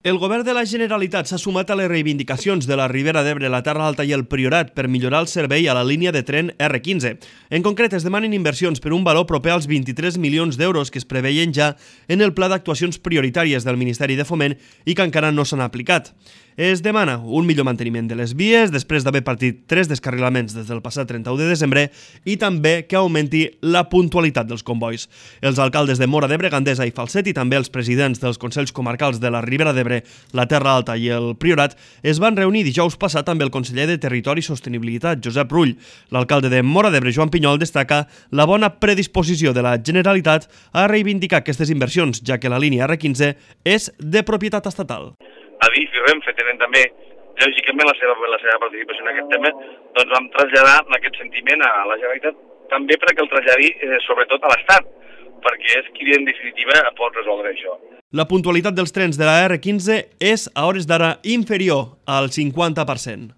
El govern de la Generalitat s'ha sumat a les reivindicacions de la Ribera d'Ebre, la Terra Alta i el Priorat per millorar el servei a la línia de tren R15. En concret, es demanen inversions per un valor proper als 23 milions d'euros que es preveien ja en el pla d'actuacions prioritàries del Ministeri de Foment i que encara no s'han aplicat. Es demana un millor manteniment de les vies després d'haver partit 3 descarrilaments des del passat 31 de desembre i també que augmenti la puntualitat dels convois. Els alcaldes de Móra d'Ebre, Gandesa i Falset i també els presidents dels Consells Comarcals de la Ribera d'Ebre, la Terra Alta i el Priorat es van reunir dijous passat amb el conseller de Territori i Sostenibilitat, Josep Rull. L'alcalde de Móra d'Ebre, Joan Pinyol, destaca la bona predisposició de la Generalitat a reivindicar aquestes inversions, ja que la línia R15 és de propietat estatal. Adif i Renfe tenen també, lògicament, la seva participació en aquest tema, doncs vam traslladar aquest sentiment a la Generalitat, també perquè el traslladi sobretot a l'Estat, perquè és qui en definitiva pot resoldre això. La puntualitat dels trens de la R15 és a hores d'ara inferior al 50%.